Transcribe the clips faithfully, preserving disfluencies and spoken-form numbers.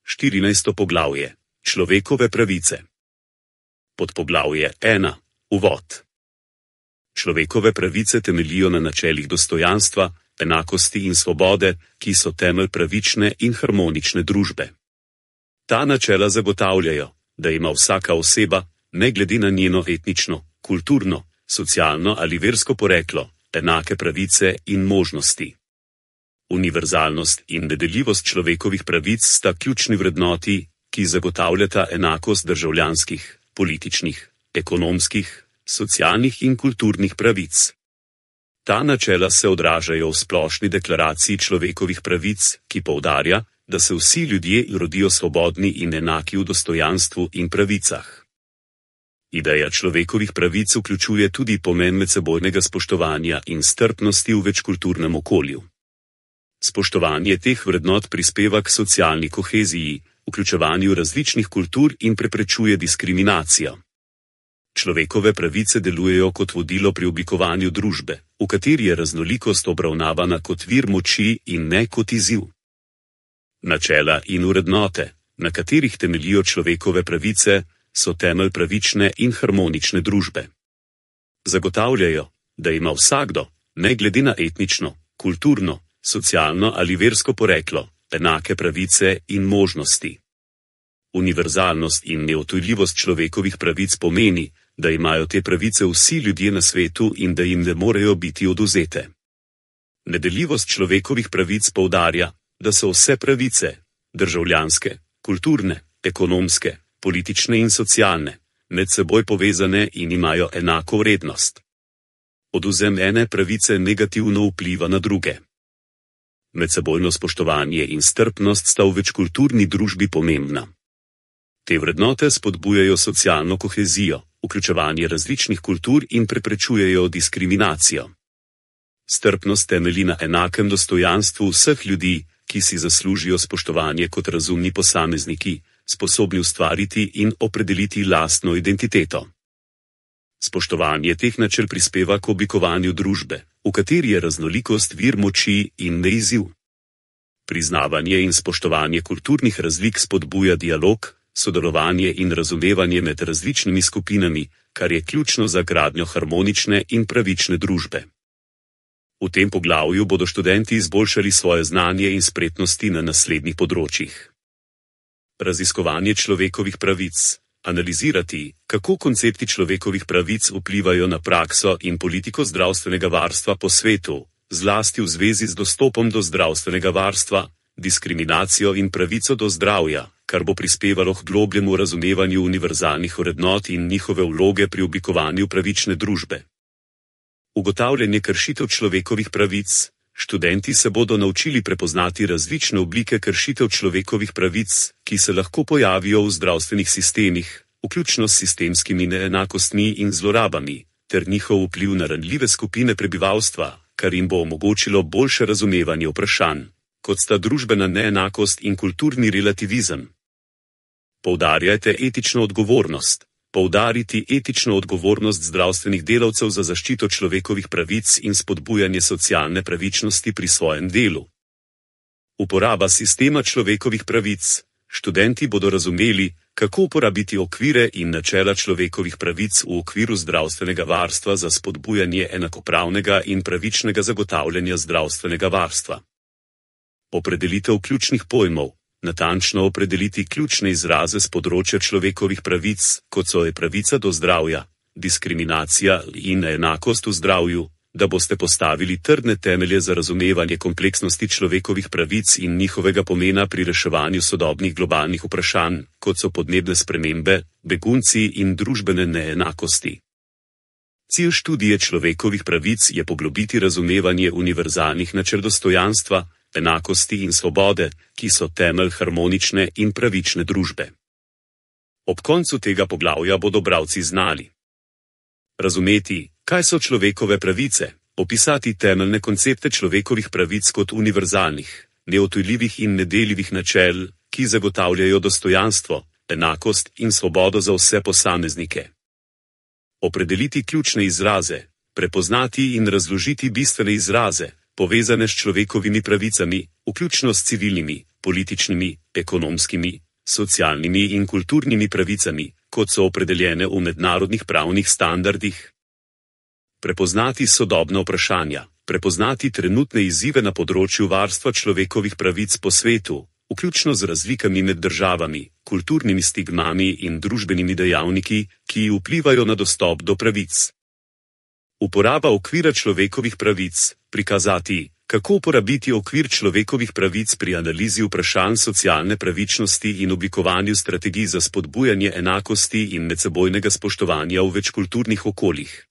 štirinajsto poglavje. Človekove pravice. Podpoglavje ena. Uvod. Človekove pravice temeljijo na načelih dostojanstva, enakosti in svobode, ki so temelj pravične in harmonične družbe. Ta načela zagotavljajo, da ima vsaka oseba, ne glede na njeno etnično, kulturno, socialno ali versko poreklo, enake pravice in možnosti. Univerzalnost in nedeljivost človekovih pravic sta ključni vrednoti, ki zagotavljata enakost državljanskih, političnih, ekonomskih, socialnih in kulturnih pravic. Ta načela se odražajo v splošni deklaraciji človekovih pravic, ki poudarja, da se vsi ljudje rodijo svobodni in enaki v dostojanstvu in pravicah. Ideja človekovih pravic vključuje tudi pomen medsebojnega spoštovanja in strpnosti v večkulturnem okolju. Spoštovanje teh vrednot prispeva k socialni koheziji, vključevanju različnih kultur in preprečuje diskriminacijo. Človekove pravice delujejo kot vodilo pri oblikovanju družbe, v kateri je raznolikost obravnavana kot vir moči in ne kot izziv. Načela in vrednote, na katerih temeljijo človekove pravice, so temelj pravične in harmonične družbe. Zagotavljajo, da ima vsakdo, ne glede na etnično, kulturno, socialno ali versko poreklo, enake pravice in možnosti. Univerzalnost in neodtujljivost človekovih pravic pomeni, da imajo te pravice vsi ljudje na svetu in da jim ne morejo biti odvzete. Nedeljivost človekovih pravic poudarja, da so vse pravice, državljanske, kulturne, ekonomske, politične in socialne, med seboj povezane in imajo enako vrednost. Odvzem ene pravice negativno vpliva na druge. Medsebojno spoštovanje in strpnost sta v večkulturni družbi pomembna. Te vrednote spodbujajo socialno kohezijo, vključevanje različnih kultur in preprečujejo diskriminacijo. Strpnost temelji na enakem dostojanstvu vseh ljudi, ki si zaslužijo spoštovanje kot razumni posamezniki, sposobni ustvariti in opredeliti lastno identiteto. Spoštovanje teh načel prispeva k oblikovanju družbe, v kateri je raznolikost vir moči in ne izziv. Priznavanje in spoštovanje kulturnih razlik spodbuja dialog, sodelovanje in razumevanje med različnimi skupinami, kar je ključno za gradnjo harmonične in pravične družbe. V tem poglavju bodo študenti izboljšali svoje znanje in spretnosti na naslednjih področjih. Raziskovanje človekovih pravic. Analizirati, kako koncepti človekovih pravic vplivajo na prakso in politiko zdravstvenega varstva po svetu, zlasti v zvezi z dostopom do zdravstvenega varstva, diskriminacijo in pravico do zdravja, kar bo prispevalo k globljemu razumevanju univerzalnih vrednot in njihove vloge pri oblikovanju pravične družbe. Ugotavljanje kršitev človekovih pravic. Študenti se bodo naučili prepoznati različne oblike kršitev človekovih pravic, ki se lahko pojavijo v zdravstvenih sistemih, vključno s sistemskimi neenakostmi in zlorabami, ter njihov vpliv na ranljive skupine prebivalstva, kar jim bo omogočilo boljše razumevanje vprašanj, kot sta družbena neenakost in kulturni relativizem. Poudarjajte etično odgovornost. Poudariti etično odgovornost zdravstvenih delavcev za zaščito človekovih pravic in spodbujanje socialne pravičnosti pri svojem delu. Uporaba sistema človekovih pravic. Študenti bodo razumeli, kako uporabiti okvire in načela človekovih pravic v okviru zdravstvenega varstva za spodbujanje enakopravnega in pravičnega zagotavljanja zdravstvenega varstva. Opredelitev ključnih pojmov. Natančno opredeliti ključne izraze z področja človekovih pravic, kot so je pravica do zdravja, diskriminacija in enakost v zdravju, da boste postavili trdne temelje za razumevanje kompleksnosti človekovih pravic in njihovega pomena pri reševanju sodobnih globalnih vprašanj, kot so podnebne spremembe, begunci in družbene neenakosti. Cilj študije človekovih pravic je poglobiti razumevanje univerzalnih načel dostojanstva, enakosti in svobode, ki so temelj harmonične in pravične družbe. Ob koncu tega poglavja bodo bralci znali razumeti, kaj so človekove pravice, opisati temeljne koncepte človekovih pravic kot univerzalnih, neodtujljivih in nedeljivih načel, ki zagotavljajo dostojanstvo, enakost in svobodo za vse posameznike. Opredeliti ključne izraze, prepoznati in razložiti bistvene izraze, povezane s človekovimi pravicami, vključno s civilnimi, političnimi, ekonomskimi, socialnimi in kulturnimi pravicami, kot so opredeljene v mednarodnih pravnih standardih. Prepoznati sodobna vprašanja, prepoznati trenutne izzive na področju varstva človekovih pravic po svetu, vključno z razlikami med državami, kulturnimi stigmami in družbenimi dejavniki, ki vplivajo na dostop do pravic. Uporaba okvira človekovih pravic, prikazati, kako uporabiti okvir človekovih pravic pri analizi vprašanj socialne pravičnosti in oblikovanju strategij za spodbujanje enakosti in medsebojnega spoštovanja v večkulturnih okoljih.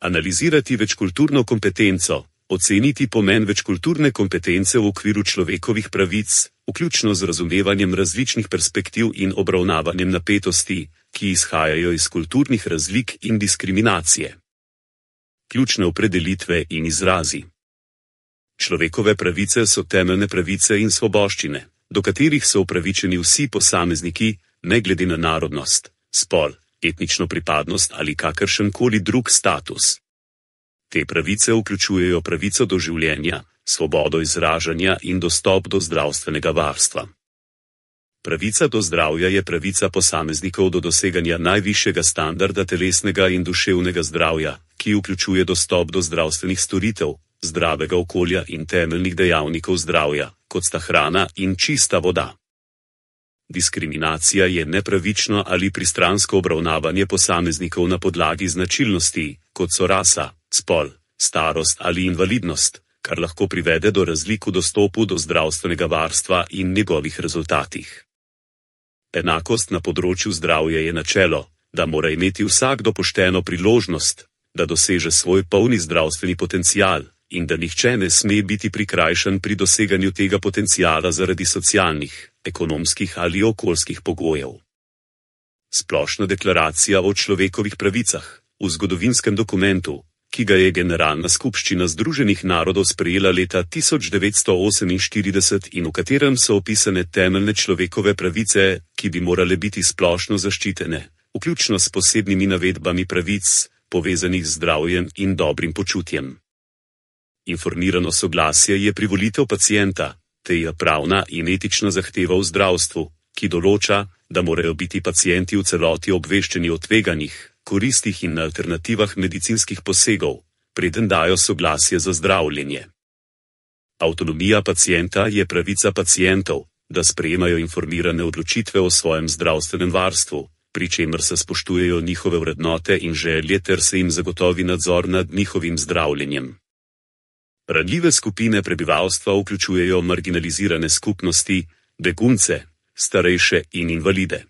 Analizirati večkulturno kompetenco, oceniti pomen večkulturne kompetence v okviru človekovih pravic, vključno z razumevanjem različnih perspektiv in obravnavanjem napetosti, ki izhajajo iz kulturnih razlik in diskriminacije. Ključne opredelitve in izrazi. Človekove pravice so temeljne pravice in svoboščine, do katerih so upravičeni vsi posamezniki, ne glede na narodnost, spol, etnično pripadnost ali kakršenkoli drug status. Te pravice vključujejo pravico do življenja, svobodo izražanja in dostop do zdravstvenega varstva. Pravica do zdravja je pravica posameznikov do doseganja najvišjega standarda telesnega in duševnega zdravja, ki vključuje dostop do zdravstvenih storitev, zdravega okolja in temeljnih dejavnikov zdravja, kot sta hrana in čista voda. Diskriminacija je nepravično ali pristransko obravnavanje posameznikov na podlagi značilnosti, kot so rasa, spol, starost ali invalidnost, kar lahko privede do razlik v dostopu do zdravstvenega varstva in njegovih rezultatih. Enakost na področju zdravja je načelo, da mora imeti vsakdo pošteno priložnost, da doseže svoj polni zdravstveni potencial in da nihče ne sme biti prikrajšan pri doseganju tega potenciala zaradi socialnih, ekonomskih ali okoljskih pogojev. Splošna deklaracija o človekovih pravicah, v zgodovinskem dokumentu, ki ga je Generalna skupščina Združenih narodov sprejela leta tisoč devetsto oseminštirideset in v katerem so opisane temeljne človekove pravice, ki bi morale biti splošno zaščitene, vključno s posebnimi navedbami pravic, povezanih z zdravjem in dobrim počutjem. Informirano soglasje je privolitev pacienta, te je pravna in etična zahteva v zdravstvu, ki določa, da morajo biti pacienti v celoti obveščeni o tveganjih, koristih in alternativah medicinskih posegov, preden dajo soglasje za zdravljenje. Avtonomija pacienta je pravica pacientov, da sprejemajo informirane odločitve o svojem zdravstvenem varstvu, pri čemer se spoštujejo njihove vrednote in želje ter se jim zagotovi nadzor nad njihovim zdravljenjem. Ranljive skupine prebivalstva vključujejo marginalizirane skupnosti, begunce, starejše in invalide.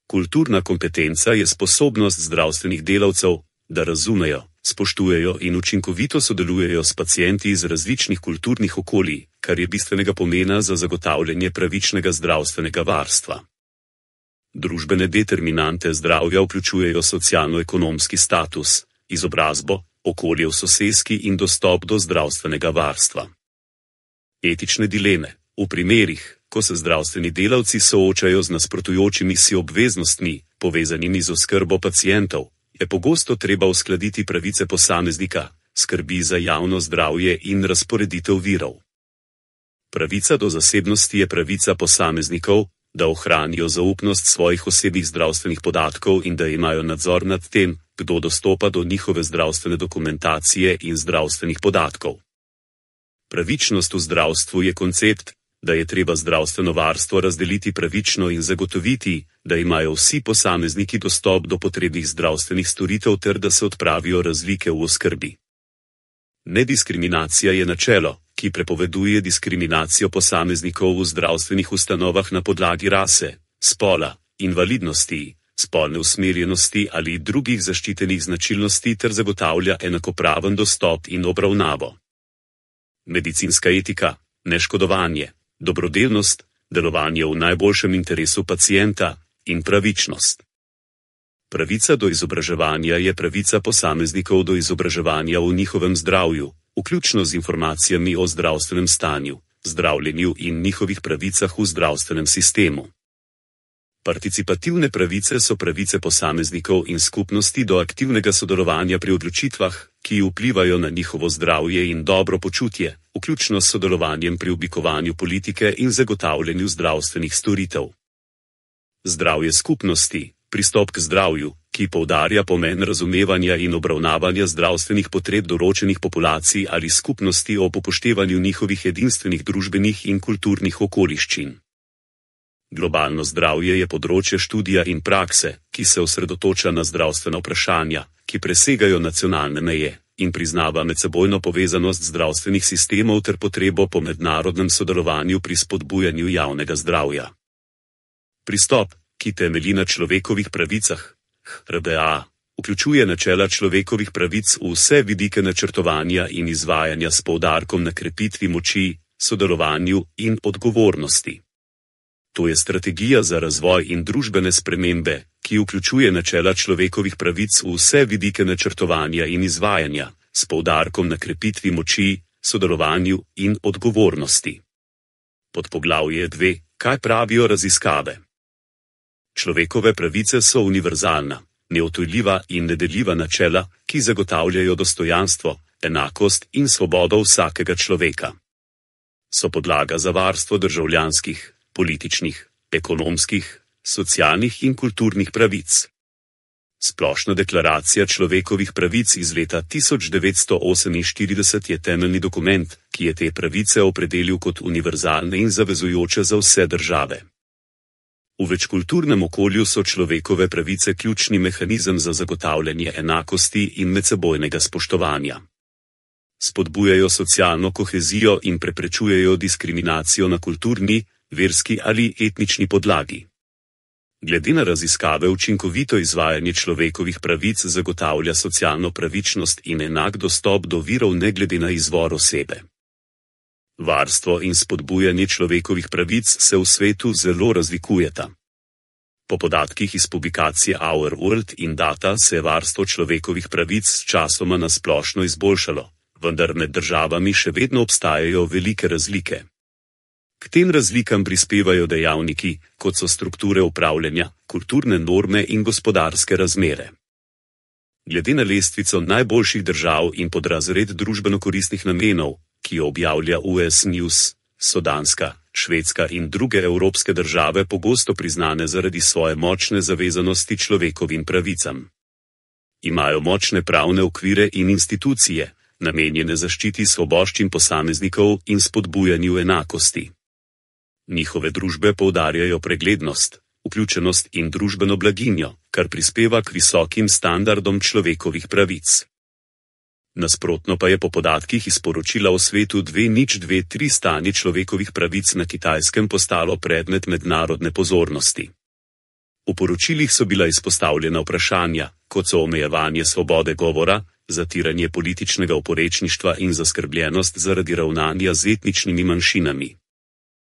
Kulturna kompetenca je sposobnost zdravstvenih delavcev, da razumejo, spoštujejo in učinkovito sodelujejo s pacienti iz različnih kulturnih okolij, kar je bistvenega pomena za zagotavljanje pravičnega zdravstvenega varstva. Družbene determinante zdravja vključujejo socialno-ekonomski status, izobrazbo, okolje v soseski in dostop do zdravstvenega varstva. Etične dileme. V primerih, ko se zdravstveni delavci soočajo z nasprotujočimi si obveznostmi, povezanimi z oskrbo pacientov, je pogosto treba uskladiti pravice posameznika, skrbi za javno zdravje in razporeditev virov. Pravica do zasebnosti je pravica posameznikov, da ohranijo zaupnost svojih osebnih zdravstvenih podatkov in da imajo nadzor nad tem, kdo dostopa do njihove zdravstvene dokumentacije in zdravstvenih podatkov. Pravičnost v zdravstvu je koncept, da je treba zdravstveno varstvo razdeliti pravično in zagotoviti, da imajo vsi posamezniki dostop do potrebnih zdravstvenih storitev ter da se odpravijo razlike v oskrbi. Nediskriminacija je načelo, ki prepoveduje diskriminacijo posameznikov v zdravstvenih ustanovah na podlagi rase, spola, invalidnosti, spolne usmerjenosti ali drugih zaščitenih značilnosti ter zagotavlja enakopraven dostop in obravnavo. Medicinska etika, neškodovanje, dobrodelnost, delovanje v najboljšem interesu pacienta in pravičnost. Pravica do izobraževanja je pravica posameznikov do izobraževanja v njihovem zdravju, vključno z informacijami o zdravstvenem stanju, zdravljenju in njihovih pravicah v zdravstvenem sistemu. Participativne pravice so pravice posameznikov in skupnosti do aktivnega sodelovanja pri odločitvah, ki vplivajo na njihovo zdravje in dobro počutje, vključno s sodelovanjem pri oblikovanju politike in zagotavljanju zdravstvenih storitev. Zdravje skupnosti, pristop k zdravju, ki poudarja pomen razumevanja in obravnavanja zdravstvenih potreb določenih populacij ali skupnosti ob upoštevanju njihovih edinstvenih družbenih in kulturnih okoliščin. Globalno zdravje je področje študija in prakse, ki se osredotoča na zdravstvena vprašanja, ki presegajo nacionalne meje in priznava medsebojno povezanost zdravstvenih sistemov ter potrebo po mednarodnem sodelovanju pri spodbujanju javnega zdravja. Pristop, ki temelji na človekovih pravicah, H R B A, vključuje načela človekovih pravic v vse vidike načrtovanja in izvajanja s poudarkom na krepitvi moči, sodelovanju in odgovornosti. To je strategija za razvoj in družbene spremembe, ki vključuje načela človekovih pravic v vse vidike načrtovanja in izvajanja, s poudarkom na krepitvi moči, sodelovanju in odgovornosti. Podpoglavje dve. Kaj pravijo raziskave? Človekove pravice so univerzalna, neodtujljiva in nedeljiva načela, ki zagotavljajo dostojanstvo, enakost in svobodo vsakega človeka. So podlaga za varstvo državljanskih, političnih, ekonomskih, socialnih in kulturnih pravic. Splošna deklaracija človekovih pravic iz leta tisoč devetsto oseminštirideset je temeljni dokument, ki je te pravice opredelil kot univerzalne in zavezujoče za vse države. V večkulturnem okolju so človekove pravice ključni mehanizem za zagotavljanje enakosti in medsebojnega spoštovanja. Spodbujajo socialno kohezijo in preprečujejo diskriminacijo na kulturni, verski ali etnični podlagi. Glede na raziskave učinkovito izvajanje človekovih pravic zagotavlja socialno pravičnost in enak dostop do virov ne glede na izvor osebe. Varstvo in spodbujanje človekovih pravic se v svetu zelo razlikujeta. Po podatkih iz publikacije Our World in Data se je varstvo človekovih pravic s časoma na splošno izboljšalo, vendar med državami še vedno obstajajo velike razlike. K tem razlikam prispevajo dejavniki, kot so strukture upravljanja, kulturne norme in gospodarske razmere. Glede na lestvico najboljših držav in podrazred družbeno-koristnih namenov, ki jo objavlja U S News, so Danska, Švedska in druge evropske države pogosto priznane zaradi svoje močne zavezanosti človekovim pravicam. Imajo močne pravne okvire in institucije, namenjene zaščiti svoboščin posameznikov in spodbujanju enakosti. Njihove družbe poudarjajo preglednost, vključenost in družbeno blaginjo, kar prispeva k visokim standardom človekovih pravic. Nasprotno pa je po podatkih iz poročila o svetu dve nič dve tri stanje človekovih pravic na Kitajskem postalo predmet mednarodne pozornosti. V poročilih so bila izpostavljena vprašanja, kot so omejevanje svobode govora, zatiranje političnega oporečništva in zaskrbljenost zaradi ravnanja z etničnimi manjšinami.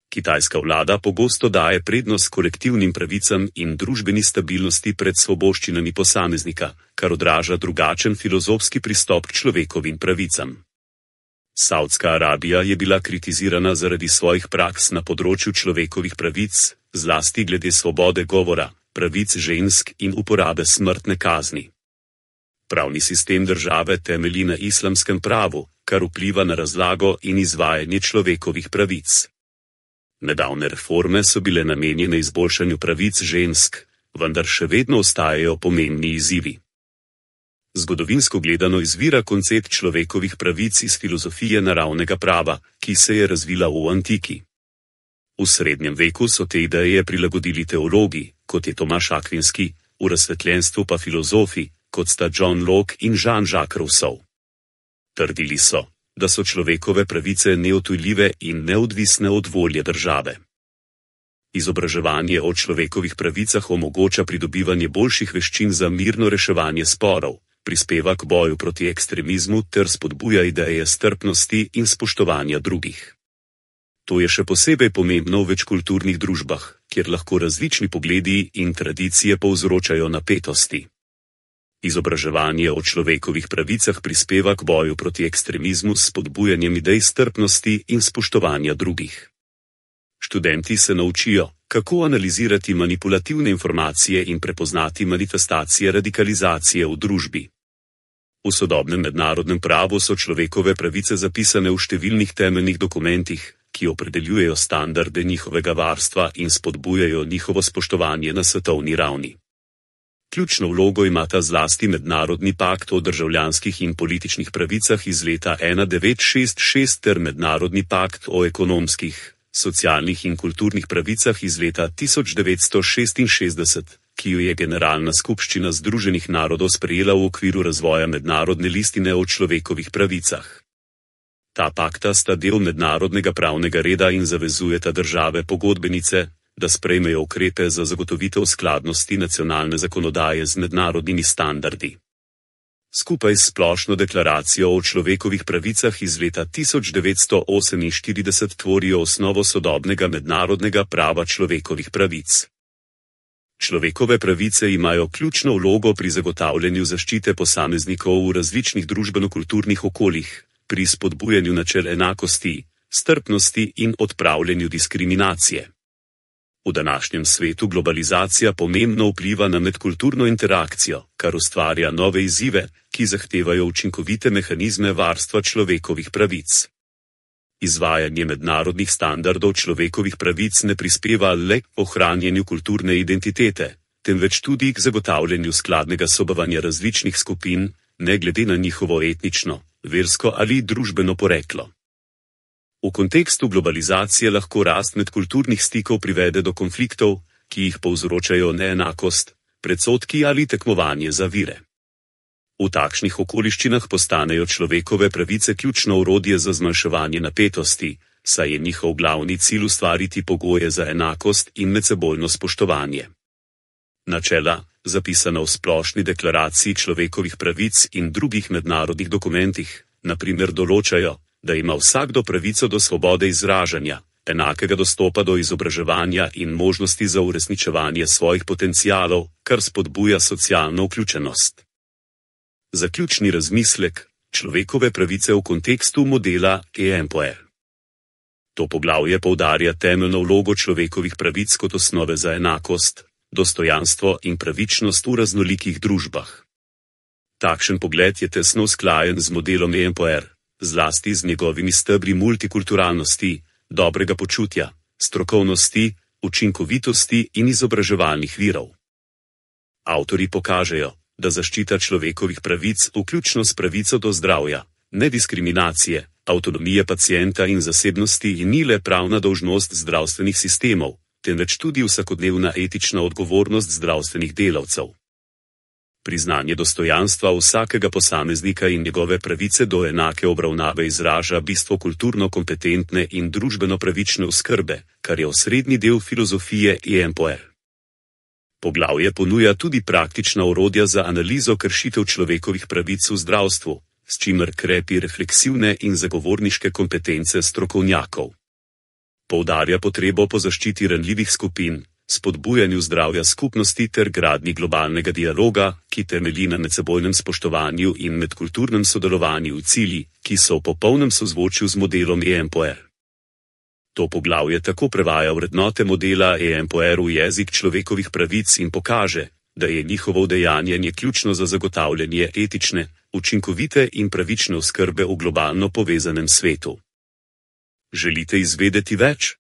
Kitajska vlada pogosto daje prednost kolektivnim pravicam in družbeni stabilnosti pred svoboščinami posameznika, kar odraža drugačen filozofski pristop k človekovim pravicam. Savdska Arabija je bila kritizirana zaradi svojih praks na področju človekovih pravic, zlasti glede svobode govora, pravic žensk in uporabe smrtne kazni. Pravni sistem države temelji na islamskem pravu, kar vpliva na razlago in izvajanje človekovih pravic. Nedavne reforme so bile namenjene izboljšanju pravic žensk, vendar še vedno ostajajo pomembni izzivi. Zgodovinsko gledano izvira koncept človekovih pravic iz filozofije naravnega prava, ki se je razvila v antiki. V srednjem veku so te ideje prilagodili teologi, kot je Tomaš Akvinski, v razsvetljenstvu pa filozofi, kot sta John Locke in Jean-Jacques Rousseau. Trdili so, da so človekove pravice neodtujljive in neodvisne od volje države. Izobraževanje o človekovih pravicah omogoča pridobivanje boljših veščin za mirno reševanje sporov, prispeva k boju proti ekstremizmu ter spodbuja ideje strpnosti in spoštovanja drugih. To je še posebej pomembno v večkulturnih družbah, kjer lahko različni pogledi in tradicije povzročajo napetosti. Izobraževanje o človekovih pravicah prispeva k boju proti ekstremizmu s spodbujanjem idej strpnosti in spoštovanja drugih. Študenti se naučijo, kako analizirati manipulativne informacije in prepoznati manifestacije radikalizacije v družbi. V sodobnem mednarodnem pravu so človekove pravice zapisane v številnih temeljnih dokumentih, ki opredeljujejo standarde njihovega varstva in spodbujajo njihovo spoštovanje na svetovni ravni. Ključno vlogo imata zlasti Mednarodni pakt o državljanskih in političnih pravicah iz leta tisoč devetsto šestdeset ter Mednarodni pakt o ekonomskih, socialnih in kulturnih pravicah iz leta tisoč devetsto šestinšestdeset, ki jo je Generalna skupščina Združenih narodov sprejela v okviru razvoja mednarodne listine o človekovih pravicah. Ta pakta sta del mednarodnega pravnega reda in zavezujeta države pogodbenice, da sprejmejo ukrepe za zagotovitev skladnosti nacionalne zakonodaje z mednarodnimi standardi. Skupaj s splošno deklaracijo o človekovih pravicah iz leta tisoč devetsto oseminštirideset tvorijo osnovo sodobnega mednarodnega prava človekovih pravic. Človekove pravice imajo ključno vlogo pri zagotavljanju zaščite posameznikov v različnih družbeno-kulturnih okoljih, pri spodbujanju načel enakosti, strpnosti in odpravljanju diskriminacije. V današnjem svetu globalizacija pomembno vpliva na medkulturno interakcijo, kar ustvarja nove izzive, ki zahtevajo učinkovite mehanizme varstva človekovih pravic. Izvajanje mednarodnih standardov človekovih pravic ne prispeva le k ohranjanju kulturne identitete, temveč tudi k zagotavljanju skladnega sobivanja različnih skupin, ne glede na njihovo etnično, versko ali družbeno poreklo. V kontekstu globalizacije lahko rast medkulturnih stikov privede do konfliktov, ki jih povzročajo neenakost, predsodki ali tekmovanje za vire. V takšnih okoliščinah postanejo človekove pravice ključno orodje za zmanjševanje napetosti, saj je njihov glavni cilj ustvariti pogoje za enakost in medsebojno spoštovanje. Načela, zapisana v Splošni deklaraciji človekovih pravic in drugih mednarodnih dokumentih, na primer določajo, da ima vsakdo pravico do svobode izražanja, enakega dostopa do izobraževanja in možnosti za uresničevanje svojih potencialov, kar spodbuja socialno vključenost. Zaključni razmislek: človekove pravice v kontekstu modela E M P O R. To poglavje poudarja temeljno vlogo človekovih pravic kot osnove za enakost, dostojanstvo in pravičnost v raznolikih družbah. Takšen pogled je tesno usklajen z modelom E M P O R, zlasti z njegovimi stebri multikulturalnosti, dobrega počutja, strokovnosti, učinkovitosti in izobraževalnih virov. Avtorji pokažejo, da zaščita človekovih pravic, vključno s pravico do zdravja, nediskriminacije, avtonomije pacienta in zasebnosti, ni le pravna dolžnost zdravstvenih sistemov, temveč tudi vsakodnevna etična odgovornost zdravstvenih delavcev. Priznanje dostojanstva vsakega posameznika in njegove pravice do enake obravnave izraža bistvo kulturno kompetentne in družbeno pravične oskrbe, kar je osrednji del filozofije E M P O R. Poglavje ponuja tudi praktična orodja za analizo kršitev človekovih pravic v zdravstvu, s čimer krepi refleksivne in zagovorniške kompetence strokovnjakov. Poudarja potrebo po zaščiti ranljivih skupin, spodbujanju zdravja skupnosti ter gradnji globalnega dialoga, ki temelji na medsebojnem spoštovanju in medkulturnem sodelovanju v cilji, ki so v popolnem sozvočju z modelom E M P O R. To poglavje tako prevaja vrednote modela E M P O R v jezik človekovih pravic in pokaže, da je njihovo udejanjanje ključno za zagotavljanje etične, učinkovite in pravične oskrbe v globalno povezanem svetu. Želite izvedeti več?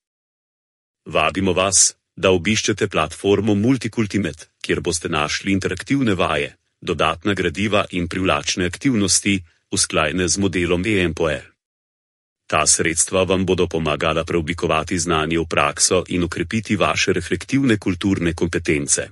Vabimo vas, da obiščete platformo Multikultimet, kjer boste našli interaktivne vaje, dodatna gradiva in privlačne aktivnosti, usklajene z modelom E M P O R. Ta sredstva vam bodo pomagala preoblikovati znanje v prakso in okrepiti vaše reflektivne kulturne kompetence.